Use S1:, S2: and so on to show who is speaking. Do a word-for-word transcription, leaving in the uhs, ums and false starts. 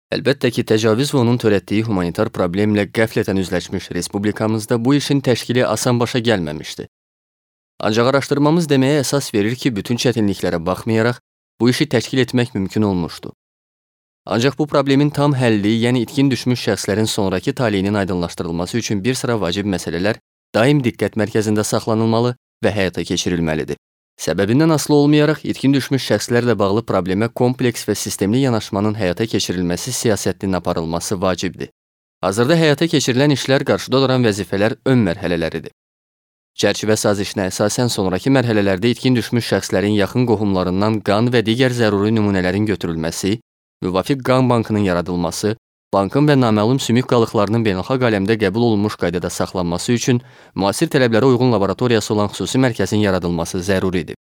S1: Əlbəttə ki, təcavüz və onun törətdiyi humanitar problemlə qəflətən üzləşmiş respublikamızda bu işin təşkili asan başa gəlməmişdi. Ancaq araşdırmamız deməyə əsas verir ki, bütün çətinliklərə baxmayaraq, bu işi təşkil etmək mümkün olmuşdu. Ancaq bu problemin tam həlli, yəni itkin düşmüş şəxslərin sonraki taleyinin aydınlaşdırılması üçün bir sıra vacib məsələlər daim diqqət mərkəzində saxlanılmalı və həyata keçirilməlidir. Səbəbindən asılı olmayaraq, itkin düşmüş şəxslərlə bağlı problemə kompleks və sistemli yanaşmanın həyata keçirilməsi siyasətinin aparılması vacibdir. Hazırda həyata keçirilən işlər qarşıda duran vəzifələr ön mərhələləridir. Çərçivə sazişinə əsasən sonraki mərhələlərdə itkin düşmüş şəxslərin yaxın qohumlarından qan və digər zəruri nümunələrin götürülməsi, müvafiq qan bankının yaradılması, bankın və naməlum sümük qalıqlarının beynəlxalq aləmdə qəbul olunmuş qaydada saxlanması üçün müasir tələblərə uyğun laboratoriyası olan xüsusi mərkəzin yaradılması zəruridir.